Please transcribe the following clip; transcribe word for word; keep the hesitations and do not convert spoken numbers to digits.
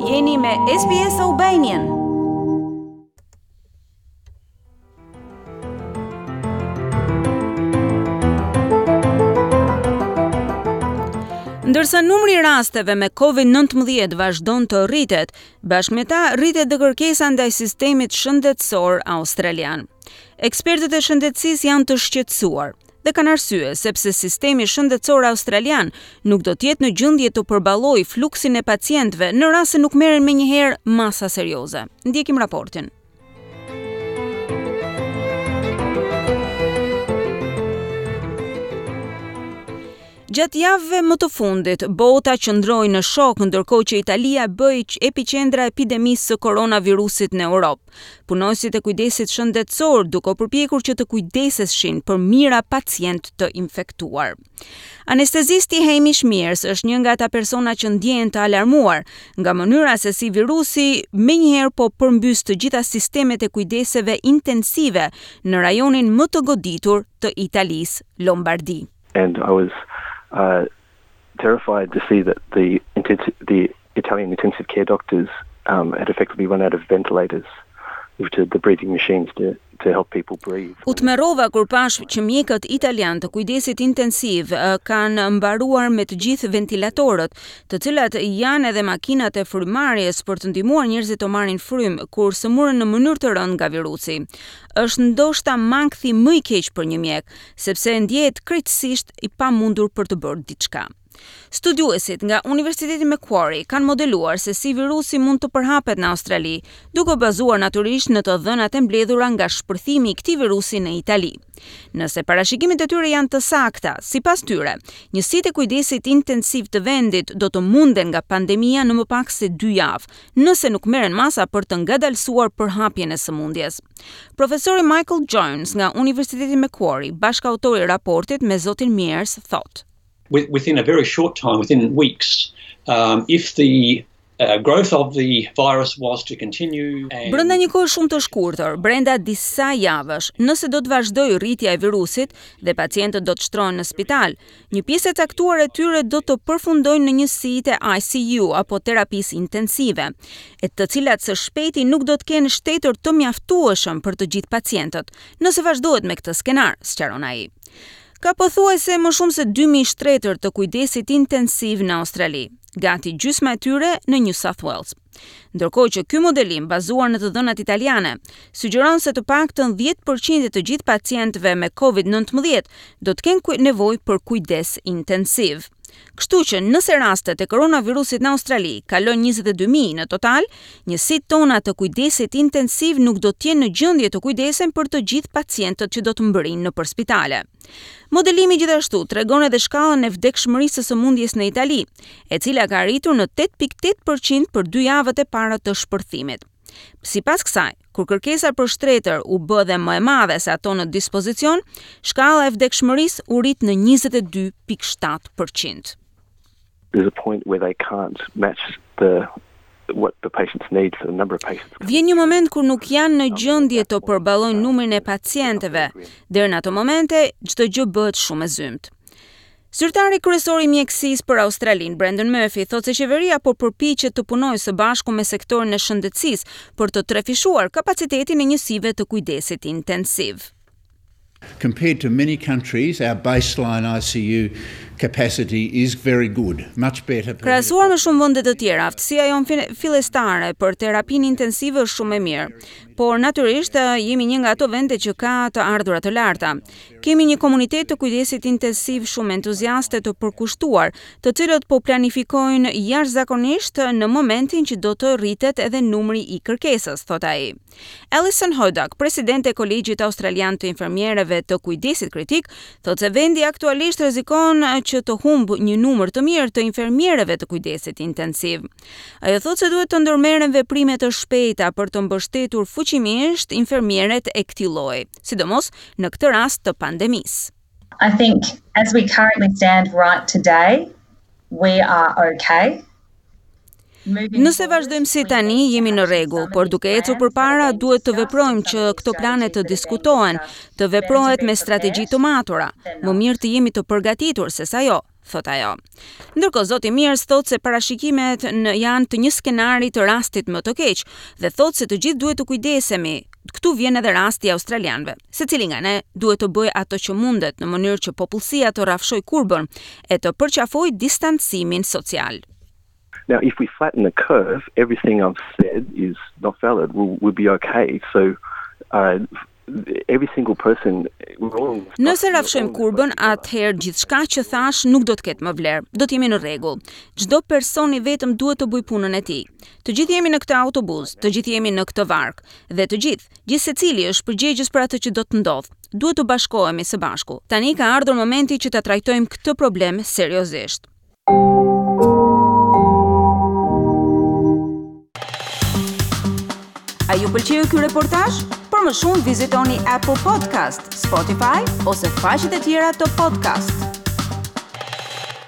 Jeni me S B S Albanian. Ndërsa numri i rasteve me Covid nëntëmbëdhjetë vazhdon të rritet, bashkë me ta rritet dhe kërkesa ndaj sistemit shëndetësor australian. Ekspertët e shëndetësisë janë të shqetësuar dhe kanë arsye, sepse sistemi shëndetësor australian nuk do të jetë në gjendje të përballojë fluksin e pacientëve në rast se nuk merren menjëherë masa serioze. Ndjekim raportin. Gjatë javëve më të fundit, bota qëndroi në shok, ndërkohë që Italia bëhej epiqendra e epidemisë së koronavirusit në Europë. Punonjësit e kujdesit shëndetësor duke u përpjekur që të kujdeseshin për mijëra pacientë të infektuar. Anestezisti Hamish Mears është një nga ata persona që ndjehen të alarmuar nga mënyra se si virusi menjëherë po përmbys të gjitha sistemet e kujdeseve intensive në rajonin më të goditur të Italisë, Lombardi. And I was uh, terrified to see that the, the Italian intensive care doctors um, had effectively run out of ventilators, which are the breathing machines to to help people breathe. U tmerrova kur pash që mjekët italian të kujdesit intensiv kanë mbaruar me të gjithë ventilatorët, të cilat janë edhe makinat e frymëmarrjes për të ndihmuar njerëzit të marrin frymë kur sëmuren në mënyrë të rëndë nga virusi. Është ndoshta mankthi më i keq për një mjek, sepse ndjehet krejtësisht i pamundur për të bërë diçka. Studiuesit nga Universiteti Macquarie kanë modeluar se si virusi mund të përhapet në Australi, duke bazuar natyrisht në të dhënat e mbledhura nga shpërthimi i këtij virusi në Itali. Nëse parashikimet e tyre janë të sakta, sipas tyre, njësitë e kujdesit intensiv të vendit do të munden nga pandemia në më pak se dy javë, nëse nuk merren masa për të ngadalësuar përhapjen e sëmundjes. Profesori Michael Jones nga Universiteti Macquarie, bashkautori i raportit me zotin Mears, thotë: Within a very short time, within weeks, um, if the uh, growth of the virus was to continue and Brenda një kohë shumë të shkurtër, brenda disa javësh, nëse do të vazhdojë rritja e virusit dhe pacientët do të shtrohen në spital, një pjesë e caktuar e tyre do të përfundojnë në njësitë e I C U apo terapisë intensive, e të cilat së shpejti nuk do të kenë shtretër të mjaftueshëm për të gjithë pacientët, nëse vazhdohet me këtë skenar, sqaron ai. Ka pothuajse më shumë se dy mijë shtretër të kujdesit intensiv në Australi, gati gjysma e tyre në New South Wales. Ndërkohë që ky modelim, bazuar në të dhënat italiane, sugjeron se të paktën dhjetë për qind e të gjithë pacientëve me Covid nëntëmbëdhjetë do të kenë nevojë për kujdes intensiv. Kështu që nëse rastet e koronavirusit në Australi kalojnë njëzet e dy mijë në total, njësitë tona të kujdesit intensiv nuk do të jenë në gjendje të kujdesen për të gjithë pacientët që do të mbërrijnë nëpër spitale. Modelimi gjithashtu tregon edhe shkallën e vdekshmërisë së sëmundjes në Itali, e cila ka arritur në tetë pikë tetë për qind për dy javët e para të shpërthimit. Sipas kësaj, kur kërkesa për shtretër u bë dhe më e madhe se ato në dispozicion, shkalla e vdekshmërisë u rrit në njëzet e dy pikë shtatë për qind. There's a point where they can't match the what the patients need for the number of patients. Vjen një moment kur nuk janë në gjendje të përballojnë numrin e pacientëve. Deri në ato momente, çdo gjë bëhet shumë e zymtë. Zyrtari kryesor i mjekësisë për Australinë, Brendan Murphy, thotë se qeveria po përpiqet të punojë së bashku me sektorin e shëndetësisë për të trefishuar kapacitetin e njësive të kujdesit intensiv. Compared to many countries, our baseline I C U capacity is very good, much better. Krahasuar me shumë vende të tjera, aftësia jonë fillestare për terapinë intensive është shumë e mirë. Por natyrisht jemi një nga ato vende që ka të ardhura të larta. Kemi një komunitet të kujdesit intensiv shumë entuziaste të përkushtuar, të cilët po planifikojnë jashtëzakonisht në momentin që do të rritet edhe numri i kërkesës, thot ai. Alison Hodak, presidente e Kolegjit Australian të Infermiereve të Kujdesit Kritik, thotë se vendi aktualisht rrezikon që të humbë një numër të mirë të infermiereve të kujdesit intensiv. Ajo thotë se duhet të ndërmerren veprime të shpejta për të mbështetur fuqimisht infermieret e këtij lloji, sidomos në këtë rast të pandemisë. I think as we currently stand right today, we are okay. Nëse vazhdojmë si tani, jemi në rregull, por duke ecur përpara duhet të veprojmë që këto plane të diskutohen, të veprohet me strategji të matura. Më mirë të jemi të përgatitur se sa jo, thot ajo. Ndërkohë zoti Miers thot se parashikimet në janë të një skenari të rastit më të keq dhe thot se të gjithë duhet të kujdesemi. Këtu vjen edhe rasti i australianëve. Secili nga ne duhet të bëjë ato që mundet në mënyrë që popullsia të rrafshojë kurbën e të përqafojë distancimin social. Now, if we flatten the curve, everything I've said is not valid. We'll, we'll be okay. So, uh, every single person Nëse rrafshojmë kurbën, atëherë gjithçka që thash nuk do të ketë më vlerë. Do të jemi në rregull. Çdo person i vetëm duhet të bëjë punën e tij. Të gjithë jemi në këtë autobus, të gjithë jemi në këtë varkë dhe të gjithë, gjithsecili është përgjegjës për atë që do të ndodhë. Duhet të bashkohemi së bashku. Tani ka ardhur momenti që ta trajtojmë këtë problem seriozisht. A ju pëlqeu ky reportazh? Për më shumë vizitoni Apple Podcast, Spotify ose faqet e tjera të podcast.